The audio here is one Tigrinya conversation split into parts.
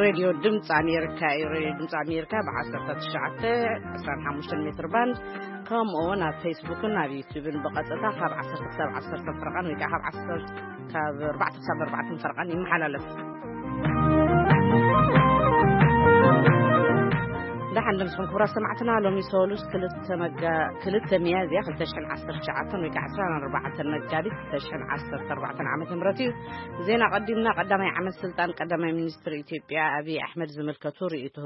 ሬድዮ ድምፂ ኣሜሪካ እዩ። ሬድዮ ድምፂ ኣሜሪካ ብ ዓሰርተ ትሽዓተ ዕስራን ሓሙሽተን ሜትር ባንድ፣ ከምኡ እውን ኣብ ፌስቡክን ኣብ ዩቲዩብን ብቐጥታ ካብ ዓሰርተ ክሳብ ዓሰርተ ፈረቓን ወይ ከዓ ካብ ዓሰርተ ካብ ኣርባዕተ ክሳብ ኣርባዕተ ፈረቓን ይመሓላለፍ። ደሓን ድምፅኹም ክቡራት ሰማዕትና። ሎሚ ሰሉስ ክልተ መጋ-፣ ክልተ ሚያዝያ ክልተ ሽሕን ዓሰርተ ትሽዓተን ወይ ከዓ ዕስራን ኣርባዕተን መጋቢት ክልተ ሽሕን ዓሰርተ ኣርባዕተን ዓመተ ምህረት እዩ። ዜና ቀዲምና። ቀዳማይ ዓመት ስልጣን ቀዳማይ ሚኒስትር ኢትዮጵያ ኣብይ ኣሕመድ ዝምልከቱ ርእይቶ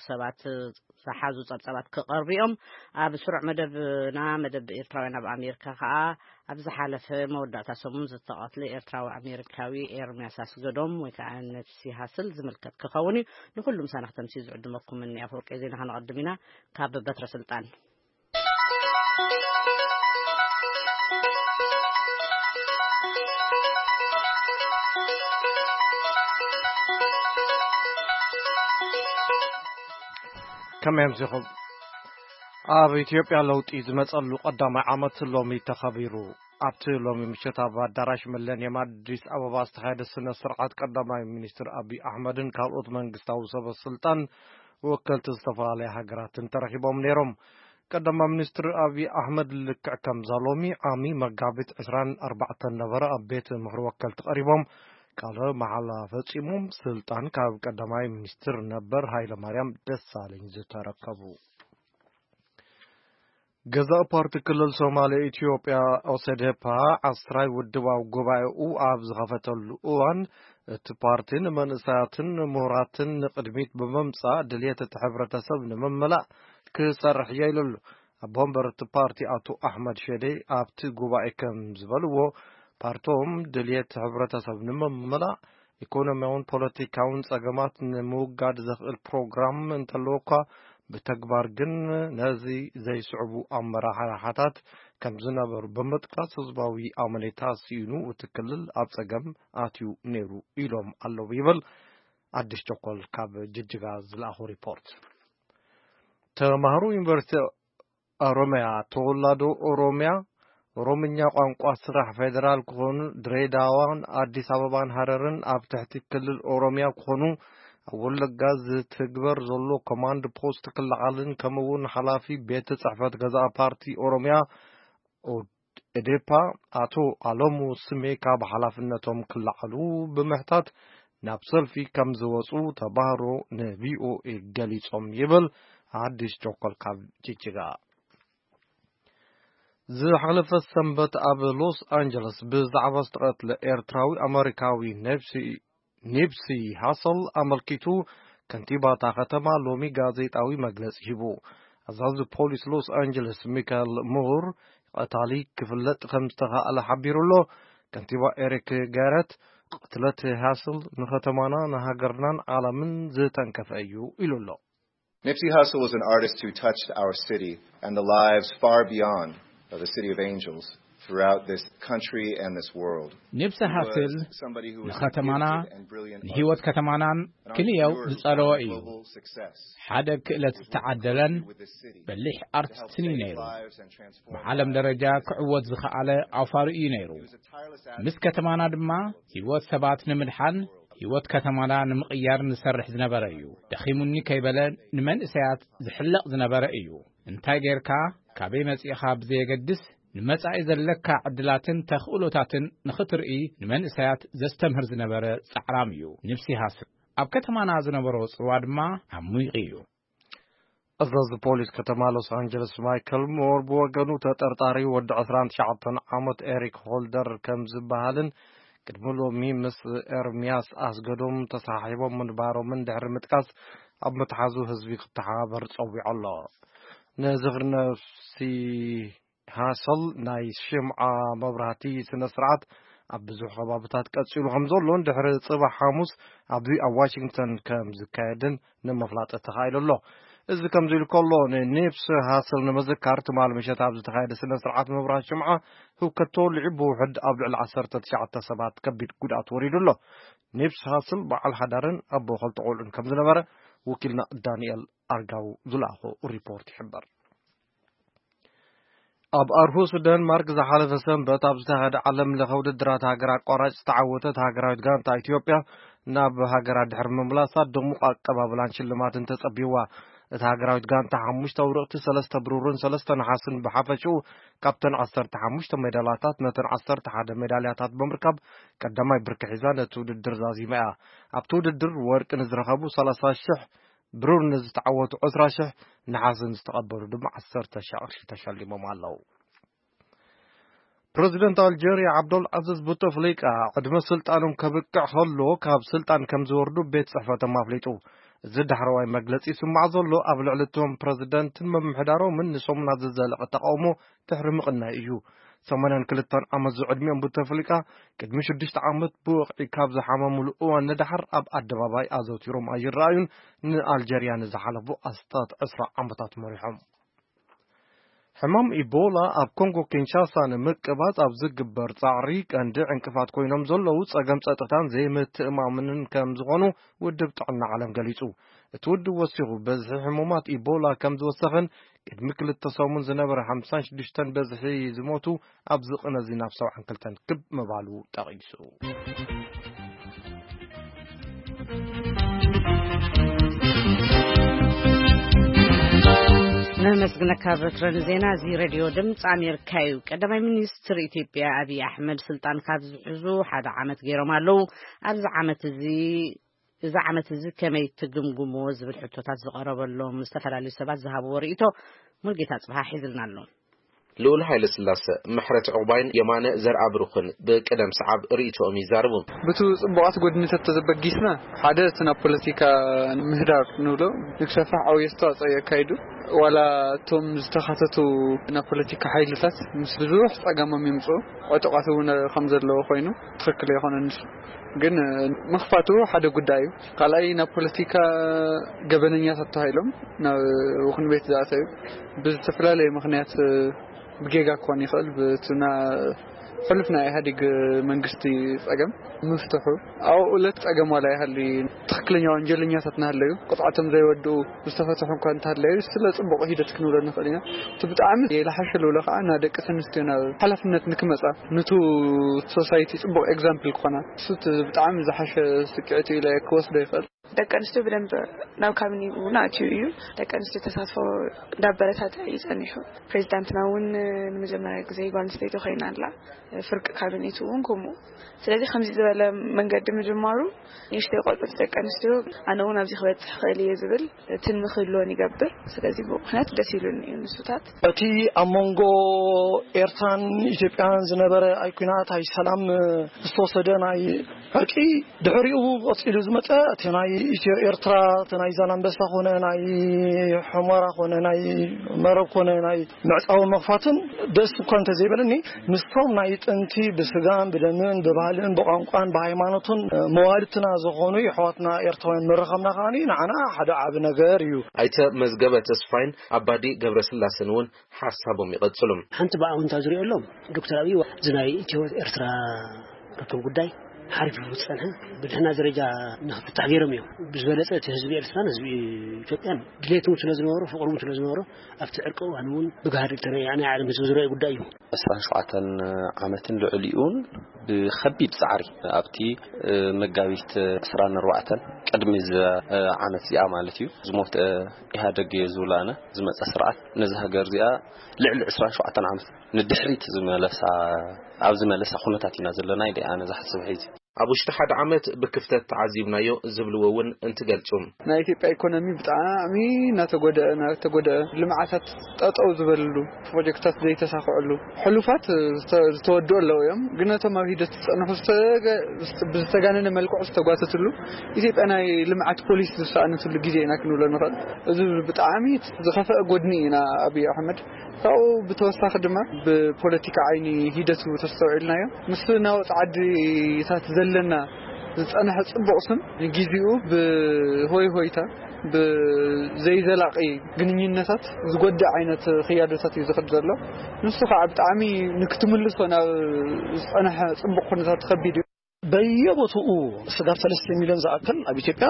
ሰባት ዝሓዙ ጸብጻባት ክቐርቡ እዮም። ኣብ ስሩዕ መደብና፣ መደብ ኤርትራውያን ኣብ ኣሜሪካ ከኣ፣ ኣብ ዝሓለፈ መወዳእታ ሰሙን ዝተቐትለ ኤርትራዊ ኣሜሪካዊ ኤርምያስ ኣስገዶም ወይ ከኣ ነብሲ ሃስል ዝምልከት ክኸውን እዩ። ንኹሉ ምሳና ክተምስዩ ዝዕድመኩም እኒ ኣፈወርቂ ዜና ከነቐድም ኢና። ካብ በትረ ስልጣን። ከመይ ኣምሲኹም? ኣብ ኢትዮጵያ ለውጢ ዝመጸሉ ቀዳማይ ዓመት ሎሚ ተኸቢሩ። ኣብቲ ሎሚ ምሸት ኣብ ኣዳራሽ ሚለንየም ኣዲስ ኣበባ ዝተኻየደ ስነ ስርዓት ቀዳማይ ሚኒስትር ኣቢይ ኣሕመድን ካልኦት መንግስታዊ ሰበ ስልጣን ወከልቲ ዝተፈላለያ ሃገራትን ተረኺቦም ነይሮም። ቀዳማይ ሚኒስትር ኣቢይ ኣሕመድ ልክዕ ከምዛ ሎሚ ዓሚ መጋቢት ዕስራን ኣርባዕተን ነበረ ኣብ ቤት ምኽሪ ወከልቲ ቀሪቦም ቃለ መሓላ ፈጺሞም ስልጣን ካብ ቀዳማይ ሚኒስትር ነበር ሃይለማርያም ደሳለኝ ዝተረከቡ። ገዛኢ ፓርቲ ክልል ሶማሌ ኢትዮጵያ ኦሰዴፓ ዓስራይ ውድባዊ ጉባኤኡ ኣብ ዝኸፈተሉ እዋን እቲ ፓርቲ ንመንእሰያትን ምሁራትን ንቅድሚት ብምምጻእ ድልየት እቲ ሕብረተሰብ ንምምላእ ክሰርሕ እየ ኢሉ ኣሎ። ኣቦ ወንበር እቲ ፓርቲ ኣቶ ኣሕመድ ሸዴ ኣብቲ ጉባኤ ከም ዝበልዎ ፓርቶም ድልየት ሕብረተሰብ ንምምላእ ኢኮኖሚያውን ፖለቲካውን ጸገማት ንምውጋድ ዘኽእል ፕሮግራም እንተለዎ እኳ ብተግባር ግን ነዚ ዘይስዕቡ ኣመራርሓታት ከም ዝነበሩ ብምጥቃስ ህዝባዊ ኣመኔታ ስኢኑ እቲ ክልል ኣብ ጸገም ኣትዩ ነይሩ ኢሎም ኣለዉ ይብል ኣዲስ ቸኮል ካብ ጅጅጋ ዝለኣኹ ሪፖርት። ተማሃሮ ዩኒቨርሲቲ ኦሮሚያ፣ ተወላዶ ኦሮሚያ፣ ኦሮምኛ ቋንቋ ስራሕ ፌደራል ክኾኑ ድሬዳዋን ኣዲስ ኣበባን ሃረርን ኣብ ትሕቲ ክልል ኦሮሚያ ክኾኑ ኣብ ወለጋ ዝትግበር ዘሎ ኮማንድ ፖስት ክለዓልን ከምኡ እውን ሓላፊ ቤት ጽሕፈት ገዛኢ ፓርቲ ኦሮሚያ ኦዴፓ ኣቶ ኣለሙ ስሜ ካብ ሓላፍነቶም ክለዓሉ ብምሕታት ናብ ሰልፊ ከም ዝወፁ ተባህሮ ንቪኦኤ ገሊጾም ይብል ኣዲስ ቸኮል ካብ ጅጅጋ። ዝሓለፈ ሰንበት ኣብ ሎስ ኣንጀለስ ብዛዕባ ዝተቐትለ ኤርትራዊ ኣመሪካዊ ኔፕሲ፣ ኒፕሲ ሃሰል ኣመልኪቱ ከንቲባ እታ ከተማ ሎሚ ጋዜጣዊ መግለጺ ሂቡ። ኣዛዚ ፖሊስ ሎስ ኣንጀለስ ሚካኤል ሙር ቀታሊ ክፍለጥ ከም ዝተኻእለ ሓቢሩ ኣሎ። ከንቲባ ኤሪክ ጋረት ቅትለት ሃስል ንከተማና ንሃገርናን ዓለምን ዝተንከፈ እዩ ኢሉ ኣሎ። Nipsey Hussle was an artist who touched our city and the lives far beyond of the City of Angels throughout this country and this world. ኒፕሲ ሃስል ንኸተማና ንህይወት ከተማናን ክንየው ዝጸለወ እዩ። ሓደ ክእለት ዝተዓደለን በሊሕ ኣርቲስትን እዩ ነይሩ። ብዓለም ደረጃ ክዕወት ዝኸኣለ ኣውፋሪ እዩ ነይሩ። ምስ ከተማና ድማ ህይወት ሰባት ንምድሓን ህይወት ከተማና ንምቕያር ዝሰርሕ ዝነበረ እዩ። ደኺሙኒ ከይበለ ንመንእሰያት ዝሕለቕ ዝነበረ እዩ። እንታይ ጌርካ፣ ካበይ መጺእኻ ብዘየገድስ ንመጻኢ ዘለካ ዕድላትን ተኽእሎታትን ንኽትርኢ ንመንእሰያት ዘስተምህር ዝነበረ ጻዕራም እዩ። ኒፕሲ ሃስል ኣብ ከተማና ዝነበሮ ጽልዋ ድማ ዓሚቕ እዩ። ኣዛዚ ፖሊስ ከተማ ሎስ ኣንጀለስ ማይክል ሞር ብወገኑ ተጠርጣሪ ወዲ ዕስራን ትሽዓተን ዓመት ኤሪክ ሆልደር ከም ዝበሃልን ቅድሚ ሎሚ ምስ ኤርሚያስ ኣስገዶም ተሰሓሒቦም ምንባሮምን ድሕሪ ምጥቃስ ኣብ ምትሓዙ ህዝቢ ክተሓባበር ጸዊዑ ኣሎ። ንዝኽሪ ነፍሲ ሃሰል ናይ ሽምዓ መብራህቲ ስነ ስርዓት ኣብ ብዙሕ ከባብታት ቀጺሉ ከም ዘሎን ድሕሪ ጽባሕ ሓሙስ ኣብዚ ኣብ ዋሽንግተን ከም ዝካየድን ንምፍላጥ ተኻኢሉ ኣሎ። እዚ ከምዚ ኢሉ ከሎ ንኒፕስ ሃስል ንምዝካር ትማል ምሸት ኣብ ዝተኻየደ ስነ ስርዓት መብራህቲ ሽምዓ ህውከት ተወሊዑ ብውሕድ ኣብ ልዕሊ ዓሰርተ ትሽዓተ ሰባት ከቢድ ጉድኣት ወሪዱ ኣሎ። ኒፕስ ሃስል በዓል ሓዳርን ኣቦ ኸልተ ቆልዑን ከም ዝነበረ ወኪልና ዳንኤል ኣርጋው ዝለኣኾ ሪፖርት ይሕበር። ኣብ ኣርሁስ ደንማርክ ዝሓለፈ ሰንበት ኣብ ዝተኻየደ ዓለም ለኸ ውድድራት ሃገር ኣቋራጭ ዝተዓወተት ሃገራዊት ጋንታ ኢትዮጵያ፣ ናብ ሃገራ ድሕሪ ምምላሳ ድሙቕ ኣቀባብላን ሽልማትን ተጸቢዋ። እታ ሃገራዊት ጋንታ ሓሙሽተ ኣውርቕቲ፣ ሰለስተ ብሩርን ሰለስተ ነሓስን ብሓፈሽኡ ካብተን ዓሰርተ ሓሙሽተ ሜዳልያታት ነተን ዓሰርተ ሓደ ሜዳልያታት ብምርካብ ቀዳማይ ብርኪ ሒዛ ነቲ ውድድር ዛዚማ እያ። ኣብቲ ውድድር ወርቂ ንዝረኸቡ ሰላሳ ሽሕ፣ ብሩር ንዝተዓወቱ ዕስራ ሽሕ፣ ነሓስ ንዝተቐበሉ ድማ ዓሰርተ ሽሕ ቅርሺ ተሸሊሞም ኣለዉ። ፕረዚደንት ኣልጀርያ ዓብዶል ዓዚዝ ቡተፍሊቃ ዕድመ ስልጣኖም ከብቅዕ ከሎ ካብ ስልጣን ከም ዝወርዱ ቤት ጽሕፈቶም ኣፍሊጡ። እዚ ዳሕረዋይ መግለጺ ይስማዕ ዘሎ ኣብ ልዕሊ እቶም ፕረዚደንትን ምምሕዳሮምን ንሰሙናት ዝዘለቐ ተቓውሞ ድሕሪ ምቕናይ እዩ። ሰማንያን ክልተን ዓመት ዝዕድሚኦም ቡተፍሊቃ ቅድሚ ሽዱሽተ ዓመት ብወቕዒ ካብ ዝሓመሙሉ እዋን ንደሓር ኣብ ኣደባባይ ኣዘውቲሮም ኣይረኣዩን። ንኣልጀርያ ንዝሓለፉ ኣስታት ዕስራ ዓመታት መሪሖም። ሕማም ኢቦላ ኣብ ኮንጎ ኪንሻሳ ንምቅባጽ ኣብ ዝግበር ጻዕሪ ቀንዲ ዕንቅፋት ኮይኖም ዘለዉ ጸገም ጸጥታን ዘይምትእማምንን ከም ዝኾኑ ውድብ ጥዕና ዓለም ገሊጹ። እቲ ውድብ ወሲኹ፣ በዝሒ ሕሙማት ኢቦላ ከም ዝወሰኸን ቅድሚ ክልተ ሰሙን ዝነበረ ሓምሳን ሽዱሽተን በዝሒ ዝሞቱ ኣብዚ ቅነ እዚ ናብ ሰብዓን ክልተን ክብ ምባሉ ጠቒሱ። ነመስግነካ በትረ ንዜና እዚ ሬድዮ ድምፂ ኣሜሪካ እዩ። ቀዳማይ ሚኒስትር ኢትዮጵያ ኣብይ ኣሕመድ ስልጣን ካብ ዝሕዙ ሓደ ዓመት ገይሮም ኣለዉ። ኣብዚ ዓመት እዚ እዚ ዓመት እዚ ከመይ ትግምግምዎ ዝብል ሕቶታት ዝቐረበሎም ዝተፈላለዩ ሰባት ዝሃብዎ ርእይቶ ሙልጌታ ጽብሃ ሒዝልና ኣሎ። ልኡል ሃይለ ስላሰ፣ ምሕረት ዕቑባይን የማነ ዘርኣብሩኽን ብቅደም ሰዓብ ርእይቶኦም ይዛረቡ። ብቱ ጽቡቓት ጎድንታት ተዘበጊስና፣ ሓደ እቲ ናብ ፖለቲካ ምህዳር ንብሎ ንክሰፋሕ ዓብዪ ኣስተዋጽኦ የካይዱ። ዋላ እቶም ዝተኻተቱ ናብ ፖለቲካ ሓይልታት ምስ ብዙሕ ጸገሞም ይምጽኡ፣ ዕጡቓት እውን ከም ዘለዎ ኮይኑ ትኽክል ኣይኮነን። ግን ምኽፋቱ ሓደ ጉዳይ እዩ። ካልኣይ ናብ ፖለቲካ ገበነኛታት ተባሂሎም ናብ ውኽን ቤት ዝኣተዩ ብዝተፈላለየ ምኽንያት ብጌጋ ክኾን ይኽእል። ብትና ሕሉፍ ናይ ኢህኣዴግ መንግስቲ ጸገም ምፍትሑ ኣብኡ ዕለት ጸገም ዋላ ይሃሊ ትኽክለኛ ወንጀለኛታት እናሃለዩ ቅፅዓቶም ዘይወድኡ ዝተፈትሑ እኳ እንተሃለዩ ስለ ጽቡቕ ሂደት ክንብሎ ንኽእል ኢና። እቲ ብጣዕሚ የልሓሸ ልብሎ ከዓ ና ደቂ ኣንስትዮ ናብ ሓላፍነት ንክመጻ ንቱ ሶሳይቲ ጽቡቕ ኤግዛምፕል ክኾና እሱ እቲ ብጣዕሚ ዝሓሸ ስክዕት ኢለ ክወስዶ ይኽእል። ደቂ ኣንስትዮ ብደንብ ናብ ካቢኔ እውን ኣትዩ እዩ። ደቂ ኣንስትዮ ተሳትፎ እንዳበረታተ እዩ ጸኒሑ። ፕሬዚዳንትና እውን ንመጀመርያ ግዜ ጓል ኣንስተይቲ ኮይና ኣላ። ፍርቂ ካቢኔት እውን ከምኡ። ስለዚ ከምዚ ዝበለ መንገዲ ምጅማሩ ንእሽተይ ቆልዑት ደቂ ኣንስትዮ ኣነ እውን ኣብዚ ክበፅሕ ክእል እየ ዝብል ትልሚ ክህልወን ይገብር። ስለዚ ብኡ ምክንያት ደስ ኢሉኒ እዩ ንሱታት። እቲ ኣብ መንጎ ኤርትራን ኢትዮጵያን ዝነበረ ኣይ ኲናት ኣይ ሰላም ዝተወሰደ ናይ ዕርቂ ድሕሪኡ ቀፂሉ ዝመፀ እቲ ናይ ኢትዮ ኤርትራ እቲ ናይ ዛላንበሳ ኮነ ናይ ሑመራ ኮነ ናይ መረብ ኮነ ናይ ምዕፃዊ መኽፋትን ደስ እኳ እንተዘይበለኒ ምስቶም ናይ ጥንቲ ብስጋን ብደምን ብባህልን ብቋንቋን ብሃይማኖትን መዋልድትና ዝኾኑ የሕዋትና ኤርትራውያን ምርኻብና ከዓኒ ንዓና ሓደ ዓቢ ነገር እዩ። ኣይተ መዝገበ ተስፋይን ኣባዲ ገብረስላሰን እውን ሓሳቦም ይቐጽሉ። ሓንቲ ብኣውንታ ዝሪኦ ኣለዎም ዶክተር ኣብይ እዚ ናይ ኢትዮ ኤርትራ ርክብ ጉዳይ ሓሪፍ ዝጸንሐ ብድሕና ደረጃ ንክፍታሕ ገይሮም እዮም። ብዝበለጸ እቲ ህዝቢ ኤርትራን ህዝቢ ኢትዮጵያን ድሌት እውን ስለ ዝነበሮ ፍቕሪ እውን ስለ ዝነበሮ ኣብቲ ዕርቂ እዋን እውን ብጋህዲ እተረኣየ ናይ ዓለም ህዝቢ ዝረኣየ ጉዳይ እዩ። ዕስራን ሸውዓተን ዓመትን ልዕሊኡን ብኸቢድ ጻዕሪ ኣብቲ መጋቢት ዕስራን ኣርባዕተን ቅድሚ እዚ ዓመት እዚኣ ማለት እዩ ዝሞተ ኢህኣደግ እየ ዝብሎ ኣነ ዝመጸ ስርዓት ነዚ ሃገር እዚኣ ልዕሊ ዕስራን ሸውዓተን ዓመት ንድሕሪት ዝመለሳ ኣብ ዝመለሳ ኩነታት ኢና ዘለና ኢለ ኣነ ዝሓስብ ሒዚ። ኣብ ውሽጢ ሓደ ዓመት ብክፍተት ተዓዚብናዮ ዝብልዎ እውን እንትገልጹ። ናይ ኢትዮጵያ ኢኮኖሚ ብጣዕሚ እናተጎደአ እናተጎደአ ልምዓታት ጠጠው ዝበልሉ ፕሮጀክታት ዘይተሳኽዐሉ ሕሉፋት ዝተወድኡ ኣለዉ እዮም። ግን ነቶም ኣብ ሂደት ዝጸንሑ ብዝተጋነነ መልክዑ ዝተጓተትሉ ኢትዮጵያ ናይ ልምዓት ፖሊሲ ዝሰኣነትሉ ግዜ ኢና ክንብሎ ንኽእል። እዚ ብጣዕሚ ዝኸፍአ ጎድኒ ኢና ኣብይ ኣሕመድ ካብኡ ብተወሳኺ ድማ ብፖለቲካ ዓይኒ ሂደቱ ተስተውዒልናዮ ምስ ናወፅ ዓድታት ዘለና ዝፀንሐ ፅቡቕ ስም ንጊዜኡ ብሆይ ሆይታ ብዘይዘላቒ ግንኙነታት ዝጎድእ ዓይነት ክያዶታት እዩ ዝኸድ ዘሎ። ንሱ ከዓ ብጣዕሚ ንክትምልሶ ናብ ዝፀንሐ ፅቡቕ ኩነታት ከቢድ እዩ። በየቦትኡ ስጋብ ሰለስተ ሚልዮን ዝኣክል ኣብ ኢትዮጵያ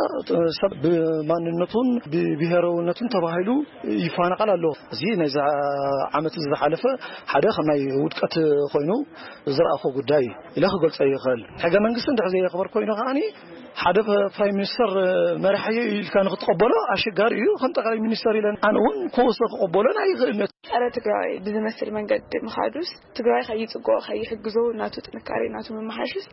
ሰብ ብማንነቱን ብብሄራውነቱን ተባሂሉ ይፈናቐል ኣሎ። እዚ ናይዛ ዓመት ዝሓለፈ ሓደ ከም ናይ ውድቀት ኮይኑ ዝረኣኹ ጉዳይ ኢለ ክገልጾ ይኽእል። ሕገ መንግስቲ እንድሕር ዘየኽበር ኮይኑ ከዓኒ ሓደ ፕራይም ሚኒስተር መራሕዮ ኢልካ ንክትቀበሎ ኣሸጋሪ እዩ። ከም ጠቅላይ ሚኒስተር ኢለን ኣነ እውን ክወስዶ ክቀበሎን ኣይኽእልነት። ጸረ ትግራይ ብዝመስል መንገዲ ምኻዱስ ትግራይ ከይጽጎ ከይሕግዞ ናቱ ጥንካሬ ናቱ ምመሓሽስ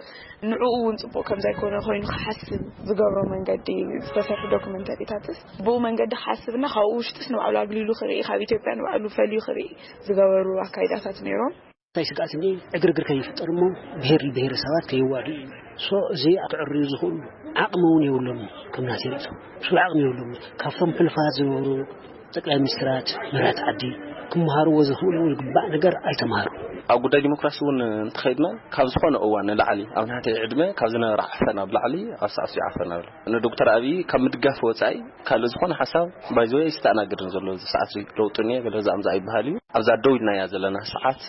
ንዕኡ እውን ጽቡቕ ከም ዘይኮነ ኮይኑ ክሓስብ ዝገብሮ መንገዲ ዝተሰርሑ ዶክመንተሪታትስ ብኡ መንገዲ ክሓስብና ካብኡ ውሽጥስ ንባዕሉ ኣግሊሉ ክርኢ ካብ ኢትዮጵያ ንባዕሉ ፈልዩ ክርኢ ዝገበሩ ኣካይዳታት ነይሮም። እንታይ ስግኣት እኒ ዕግርግር ከይፍጠር እሞ ብሄር ብሄረሰባት ከይዋዱ እዩ። ሶ እዚ ክዕርዩ ዝኽእሉ ዓቕሚ እውን የብሎም። ከም ናተይ ርእቶ ስሉ ዓቕሚ የብሎም። ካብቶም ሕሉፋት ዝነበሩ ጠቅላይ ሚኒስትራት መራት ዓዲ ክመሃርዎ ዝኽእሉ ዝግባእ ነገር ኣይተምሃሩ። ኣብ ጉዳይ ዲሞክራሲ እውን እንተኸይድና ካብ ዝኾነ እዋን ንላዕሊ ኣብ ናተይ ዕድመ ካብ ዝነበረ ዓፈና ብላዕሊ ኣብ ሰዓት ዓፈና ኣሎ። ንዶክተር ኣብይ ካብ ምድጋፍ ወፃኢ ካልእ ዝኾነ ሓሳብ ባይዘወይ ኣይስተኣናግድን ዘሎ። እዚ ሰዓት እዚ ለውጢ እኒኦ ገለ ዛምዛ ኣይበሃል እዩ። ኣብዛ ደው ኢልናያ ዘለና ሰዓት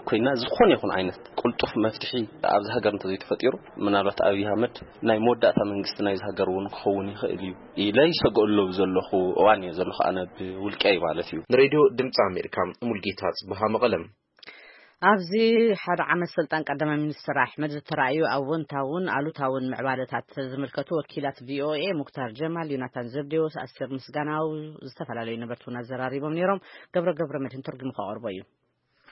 ኮይና ዝኾነ ይኹን ዓይነት ቅልጡፍ መፍትሒ ኣብዚ ሃገር እንተዘይተፈጢሩ ምናልባት ኣብይ ኣህመድ ናይ መወዳእታ መንግስቲ ናይዚ ሃገር እውን ክኸውን ይኽእል እዩ ኢለ ይሰግኣሉ ዘለኹ እዋን እየ ዘለኹ ኣነ ብውልቀይ ማለት እዩ። ንሬድዮ ድምፂ ኣሜሪካ ሙልጌታ ጽብሃ መቐለም። ኣብዚ ሓደ ዓመት ስልጣን ቀዳማይ ሚኒስትር ኣሕመድ ዝተራእዩ ኣወንታውን ኣሉታውን ምዕባለታት ዝምልከቱ ወኪላት ቪኦኤ ሙክታር ጀማል፣ ዮናታን ዘብዴዎስ፣ ኣስቴር ምስጋናው ዝተፈላለዩ ነበርቲ እውን ኣዘራሪቦም ነይሮም። ገብረ ገብረ መድህን ተርጉሙ ከቕርቦ እዩ።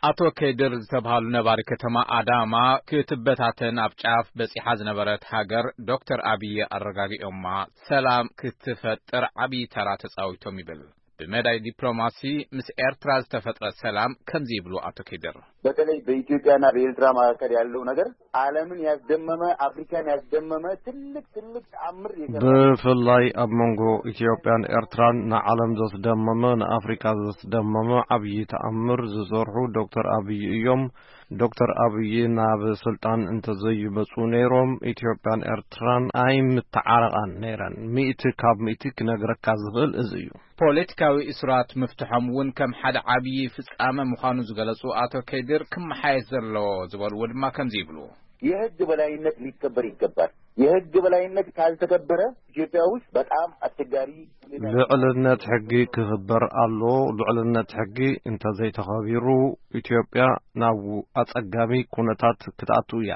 ኣቶ ከድር ዝተብሃሉ ነባሪ ከተማ ኣዳማ ክትበታተን ኣብ ጫፍ በጺሓ ዝነበረት ሃገር ዶክተር ኣብይ ኣረጋጊኦማ ሰላም ክትፈጥር ዓብዪ ተራ ተጻዊቶም ይብል። ብመዳይ ዲፕሎማሲ ምስ ኤርትራ ዝተፈጥረ ሰላም ከምዚ ይብሉ ኣቶ ከድር። በተለይ በኢትዮጵያና በኤርትራ መካከል ያለው ነገር ዓለምን ያስደመመ፣ አፍሪካን ያስደመመ ትልቅ ትልቅ ተአምር የሰራ። ብፍላይ ኣብ መንጎ ኢትዮጵያን ኤርትራን ንዓለም ዘስደመመ፣ ንኣፍሪካ ዘስደመመ ዓብዪ ተኣምር ዝሰርሑ ዶክተር ኣብይ እዮም። ዶክተር ኣብይ ናብ ስልጣን እንተዘይመፁ ነይሮም ኢትዮጵያን ኤርትራን ኣይምተዓረቓን ነይረን። ሚእቲ ካብ ሚእቲ ክነግረካ ዝኽእል እዚ እዩ። ፖለቲካዊ እሱራት ምፍትሖም እውን ከም ሓደ ዓብዪ ፍጻመ ምዃኑ ዝገለጹ ኣቶ ከድር፣ ክመሓየሽ ዘለዎ ዝበልዎ ድማ ከምዚ ይብሉ። የህግ በላይነት ሊከበር ይገባል። የህግ በላይነት ካልተከበረ ኢትዮጵያ ውስጥ በጣም አስቸጋሪ ሁኔታ። ልዕልነት ሕጊ ክኽበር ኣሎ። ልዕልነት ሕጊ እንተዘይተኸቢሩ ኢትዮጵያ ናብ ኣጸጋሚ ኩነታት ክትኣቱ እያ።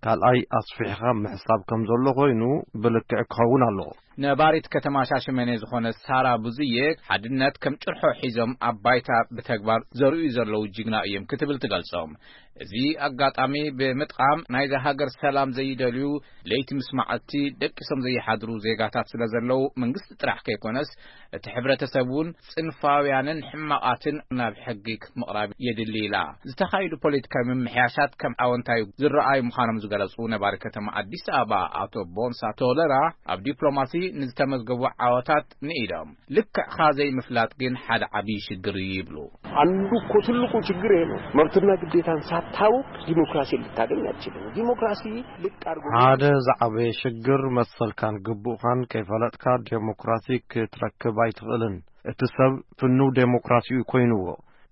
ካልኣይ ኣስፊሕኻ ምሕሳብ ከም ዘሎ ኮይኑ ብልክዕ ክኸውን ኣለዎ። ነባሪት ከተማ ሻሸመኔ ዝኾነት ሳራ ብዙዬ፣ ሓድነት ከም ጭርሖ ሒዞም ኣብ ባይታ ብተግባር ዘርእዩ ዘለዉ ጅግና እዮም ክትብል ትገልጾም። እዚ ኣጋጣሚ ብምጥቃም ናይዛ ሃገር ሰላም ዘይደልዩ፣ ለይቲ ምስ መዓልቲ ደቂሶም ዘይሓድሩ ዜጋታት ስለ ዘለዉ መንግስቲ ጥራሕ ከይኮነስ እቲ ሕብረተሰብ እውን ጽንፋውያንን ሕማቓትን ናብ ሕጊ ምቕራብ የድሊ ኢላ። ዝተኻየዱ ፖለቲካዊ ምምሕያሻት ከም ኣወንታዊ ዝረኣዩ ምዃኖም ዝገለጹ ነባሪ ከተማ ኣዲስ ኣበባ ኣቶ ቦንሳ ቶለራ፣ ኣብ ዲፕሎማሲ ንዝተመዝገቡ ዓወታት ንኢዶም። ልክዕኻ ዘይምፍላጥ ግን ሓደ ዓብዪ ሽግር እዩ ይብሉ። አንዱ እኮ ትልቁ ችግር ይሄ ነው። መብትና ግዴታን ሳታውቅ ዲሞክራሲ ልታገኝ አትችልም። ዲሞክራሲ ልቅ አድርጎ ሓደ ዝዓበየ ሽግር መሰልካን ግቡእካን ከይፈለጥካ ዴሞክራሲ ክትረክብ ኣይትኽእልን። እቲ ሰብ ፍኑው ዴሞክራሲ እዩ ኮይንዎ፣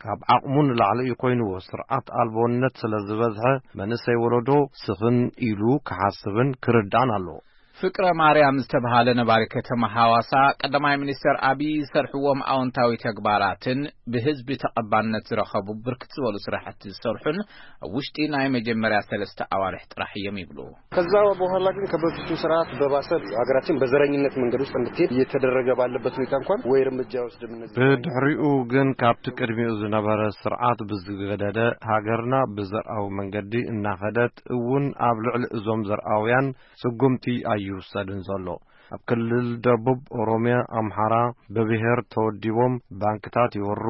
ካብ ዓቕሙ ንላዕሊ እዩ ኮይንዎ። ስርዓት ኣልቦነት ስለ ዝበዝሐ መንእሰይ ወለዶ ስኽን ኢሉ ክሓስብን ክርዳእን ኣለዎ። ፍቅረ ማርያም ዝተብሃለ ነባሪ ከተማ ሃዋሳ ቀዳማይ ሚኒስተር ኣብይ ዝሰርሕዎም ኣወንታዊ ተግባራትን ብህዝቢ ተቐባልነት ዝረኸቡ ብርክት ዝበሉ ስራሕቲ ዝሰርሑን ኣብ ውሽጢ ናይ መጀመርያ ሰለስተ ኣዋርሕ ጥራሕ እዮም ይብሉ። ከዛ በኋላ ግን ከበፊቱ ስርዓት በባሰ ሀገራችን በዘረኝነት መንገድ ውስጥ እንድትሄድ እየተደረገ ባለበት ሁኔታ እንኳን ወይ እርምጃ ወስድም እነዚህ ብድሕሪኡ ግን ካብቲ ቅድሚኡ ዝነበረ ስርዓት ብዝገደደ ሃገርና ብዘርኣዊ መንገዲ እናኸደት እውን ኣብ ልዕሊ እዞም ዘርኣውያን ስጉምቲ ኣይውሰድን ዘሎ። ኣብ ክልል ደቡብ ኦሮሚያ፣ ኣምሓራ ብብሄር ተወዲቦም ባንክታት ይወሩ፣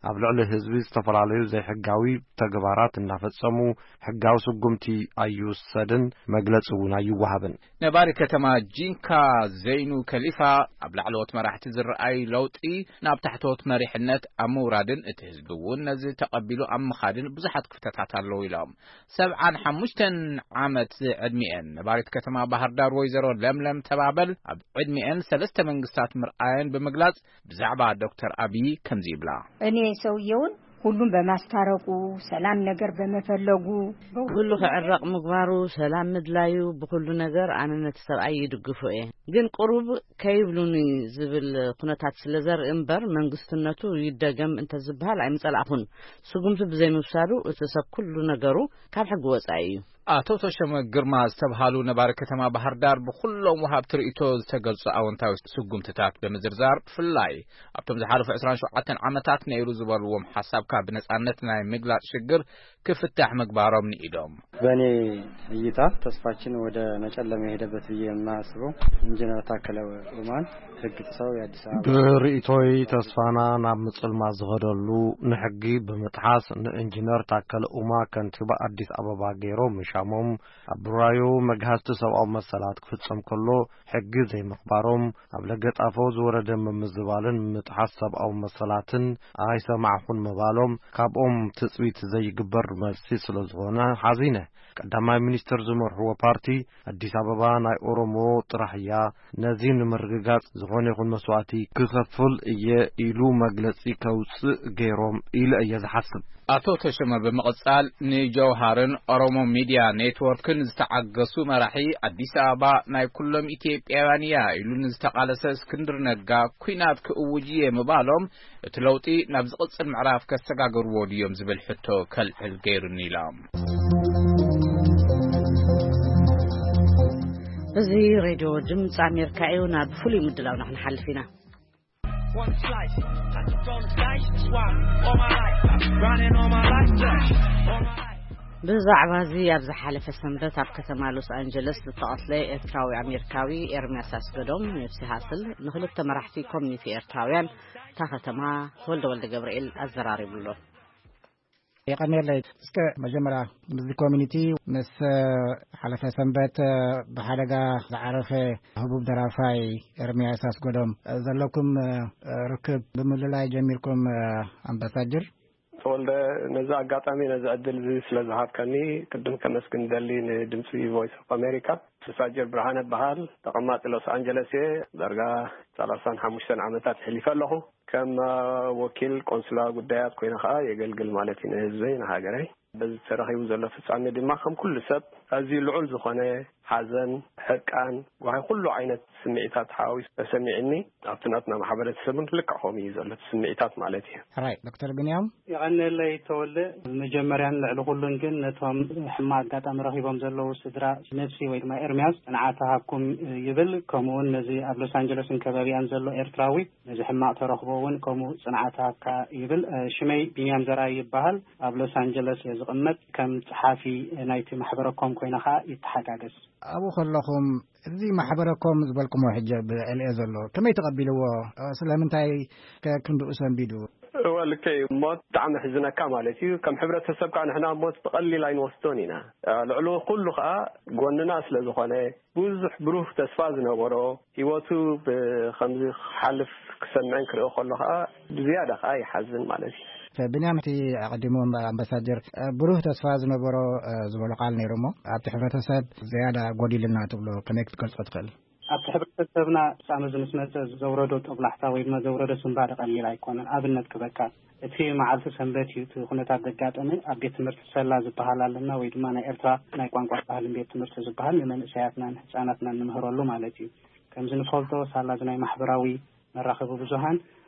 ኣብ ልዕሊ ህዝቢ ዝተፈላለዩ ዘይሕጋዊ ተግባራት እናፈጸሙ ሕጋዊ ስጉምቲ ኣይውሰድን፣ መግለጺ እውን ኣይወሃብን። ነባሪ ከተማ ጂንካ ዘይኑ ከሊፋ ኣብ ላዕለዎት መራሕቲ ዝረኣይ ለውጢ ናብ ታሕተዎት መሪሕነት ኣብ ምውራድን እቲ ህዝቢ እውን ነዚ ተቐቢሉ ኣብ ምኻድን ብዙሓት ክፍተታት ኣለዉ ኢሎም። ሰብዓን ሓሙሽተን ዓመት ዕድሚኤን ነባሪት ከተማ ባህር ዳር ወይዘሮ ለምለም ተባበል ኣብ ዕድሚኤን ሰለስተ መንግስታት ምርኣየን ብምግላጽ ብዛዕባ ዶክተር ኣብይ ከምዚ ይብላ። እኔ ሰውየውን ሁሉም በማስታረቁ፣ ሰላም ነገር በመፈለጉ፣ ብሁሉ ክዕረቕ ምግባሩ፣ ሰላም ምድላዩ፣ ብኹሉ ነገር ኣነ ነቲ ሰብኣይ ይድግፎ እየ። ግን ቁሩብ ከይብሉኒ ዝብል ኩነታት ስለ ዘርኢ እምበር፣ መንግስትነቱ ይደገም እንተዝበሃል ኣይምጸላእኹን። ስጉምቲ ብዘይምውሳዱ እቲ ሰብ ኩሉ ነገሩ ካብ ሕጊ ወጻኢ እዩ። ኣቶ ተሾመ ግርማ ዝተብሃሉ ነባሪ ከተማ ባህር ዳር፣ ብኩሎም ወሃብቲ ርእይቶ ዝተገልጹ ኣወንታዊ ስጉምትታት ብምዝርዛር፣ ብፍላይ ኣብቶም ዝሓለፉ ዕስራን ሸውዓተን ዓመታት ነይሩ ዝበልዎም ሓሳብካ ብነጻነት ናይ ምግላጽ ሽግር ክፍታሕ ምግባሮም ንኢዶም። በእኔ እይታ ተስፋችን ወደ መጨለም የሄደበት ብዬ የማስበው ኢንጂነር ታከለ ኡማን ሕግ ጥሰው የአዲስ አበባ ብርእይቶይ ተስፋና ናብ ምጽልማት ዝኸደሉ፣ ንሕጊ ብምጥሓስ ንኢንጂነር ታከለ ኡማ ከንቲባ ኣዲስ ኣበባ ገይሮም ምሻሞም፣ ኣብ ብራዩ መግሃስቲ ሰብኣዊ መሰላት ክፍጸም ከሎ ሕጊ ዘይምኽባሮም፣ ኣብ ለገጣፎ ዝወረደ ምምዝባልን ምጥሓስ ሰብኣዊ መሰላትን ኣይሰማዕኹን ምባሎም፣ ካብኦም ትጽቢት ዘይግበር መልሲ ስለ ዝኾነ ሓዚነ። ቀዳማይ ሚኒስትር ዝመርሕዎ ፓርቲ ኣዲስ ኣበባ ናይ ኦሮሞ ጥራሕ እያ፣ ነዚ ንምርግጋጽ ዝኾነ ይኹን መስዋእቲ ክኸፍል እየ ኢሉ መግለጺ ከውጽእ ገይሮም ኢለ እየ ዝሓስብ። ኣቶ ተሾመ ብምቕጻል ንጀውሃርን ኦሮሞ ሚድያ ኔትወርክን ዝተዓገሱ መራሒ፣ ኣዲስ ኣበባ ናይ ኩሎም ኢትዮጵያውያን እያ ኢሉ ንዝተቓለሰ እስክንድር ነጋ ኲናት ክእውጅ እየ ምባሎም፣ እቲ ለውጢ ናብ ዝቕጽል ምዕራፍ ከሰጋግርዎ ድዮም ዝብል ሕቶ ከልዕል ገይሩኒ ኢሎም። እዚ ሬድዮ ድምፂ ኣሜሪካ እዩ። ናብ ፍሉይ ምድላውና ክንሓልፍ ኢና። One slice, I just don't slice, swap all my life, running all my life, yeah, all my life. ብዛዕባ እዚ፣ ኣብ ዝሓለፈ ሰንበት ኣብ ከተማ ሎስ ኣንጀለስ ዝተቐትለ ኤርትራዊ ኣሜሪካዊ ኤርምያስ ኣስገዶም፣ ኒፕሲ ሃስል፣ ንክልተ መራሕቲ ኮሚኒቲ ኤርትራውያን እታ ከተማ፣ ተወልደ ወልደ ገብርኤል፣ ኣዘራሪቡ ኣሎ። የቐንየለይ። እስከ መጀመርያ ምስዚ ኮሚኒቲ፣ ምስ ሓለፈ ሰንበት ብሓደጋ ዝዓረፈ ህቡብ ደራፋይ ኤርምያስ ኣስገዶም ዘለኩም ርክብ ብምልላይ ጀሚርኩም፣ ኣምባሳጅር? ተወልደ፣ ነዚ ኣጋጣሚ፣ ነዚ ዕድል እዚ ስለ ዝሃብካኒ ቅድም ከመስግን ደሊ ንድምፂ ቮይስ ኦፍ ኣሜሪካ። ኣምባሳጀር ብርሃነ በሃል፣ ተቐማጢ ሎስ ኣንጀለስ እየ። ዳርጋ ሰላሳን ሓሙሽተን ዓመታት ሕሊፈ ኣለኹ። ከም ወኪል ቆንስላ ጉዳያት ኮይነ ከኣ የገልግል ማለት እዩ ንህዝበይ፣ ንሃገረይ። በዚ ተረኺቡ ዘሎ ፍጻሜ ድማ ከም ኩሉ ሰብ ኣዝዩ ልዑል ዝኾነ ሓዘን፣ ሕርቃን፣ ጓሂ፣ ኩሉ ዓይነት ስምዒታት ሓዋዊሱ ተሰሚዕኒ። ኣብቲ ናትና ማሕበረተሰብ እውን ልክዕ ከምኡ እዩ ዘሎ እቲ ስምዒታት ማለት እዩ። ሕራይ ዶክተር ብንያም። የቐንየለይ ተወልደ። መጀመርያን ልዕሊ ኩሉን ግን ነቶም ሕማቕ ኣጋጣሚ ረኺቦም ዘለዉ ስድራ ነብሲ ወይ ድማ ኤርምያስ ጽንዓት ሃብኩም ይብል። ከምኡውን ነዚ ኣብ ሎስ ኣንጀለስን ከባቢኣን ዘሎ ኤርትራዊ ነዚ ሕማቕ ተረኽቦ እውን ከምኡ ጽንዓት ሃብካ ይብል። ሽመይ ቢንያም ዘርኣይ ይበሃል። ኣብ ሎስ ኣንጀለስ እየ ዝቕመጥ። ከም ጸሓፊ ናይቲ ማሕበረ ኮም ኮይነ ኸኣ ይተሓጋገዝ። ኣብኡ ከለኹም፣ እዚ ማሕበረ ኮም ዝበልኩሞ ሕጂ ኣብ ልዕሊኤ ዘሎ ከመይ ተቐቢልዎ? ስለምንታይ ከ ክንድኡ ሰንቢዱ? እወ፣ ልክዕ እዩ። ሞት ብጣዕሚ ሕዝነካ ማለት እዩ። ከም ሕብረተሰብ ከዓ ንሕና ሞት ብቐሊል ኣይንወስዶን ኢና። ልዕሊ ኩሉ ከዓ ጎንና ስለ ዝኾነ፣ ብዙሕ ብሩህ ተስፋ ዝነበሮ፣ ህይወቱ ብኸምዚ ክሓልፍ ክሰምዕን ክርእዮ ከሎ ከዓ ብዝያዳ ከዓ ይሓዝን ማለት እዩ። ብንያም፣ እቲ ኣቐዲሙ ኣምባሳጀር ብሩህ ተስፋ ዝነበሮ ዝበሎ ቃል ነይሩ እሞ፣ ኣብቲ ሕብረተሰብ ዝያዳ ጎዲሉና ትብሎ ከመይ ክትገልጾ ትኽእል? ኣብቲ ሕብረተሰብና ፍጻመ እዚ ምስ መጸ ዘውረዶ ጦብላሕታ ወይ ድማ ዘውረዶ ስንባደ ቀሊል ኣይኮነን። ኣብነት ክበካ፣ እቲ መዓልቲ ሰንበት እዩ እቲ ኩነታት ዘጋጠመ። ኣብ ቤት ትምህርቲ ሰላ ዝበሃል ኣለና ወይ ድማ ናይ ኤርትራ ናይ ቋንቋ ባህልን ቤት ትምህርቲ ዝበሃል ንመንእሰያትናን ህጻናትናን ንምህረሉ ማለት እዩ። ከምዚ ንፈልጦ ሳላ እዚ ናይ ማሕበራዊ መራኸቢ ብዙሃን፣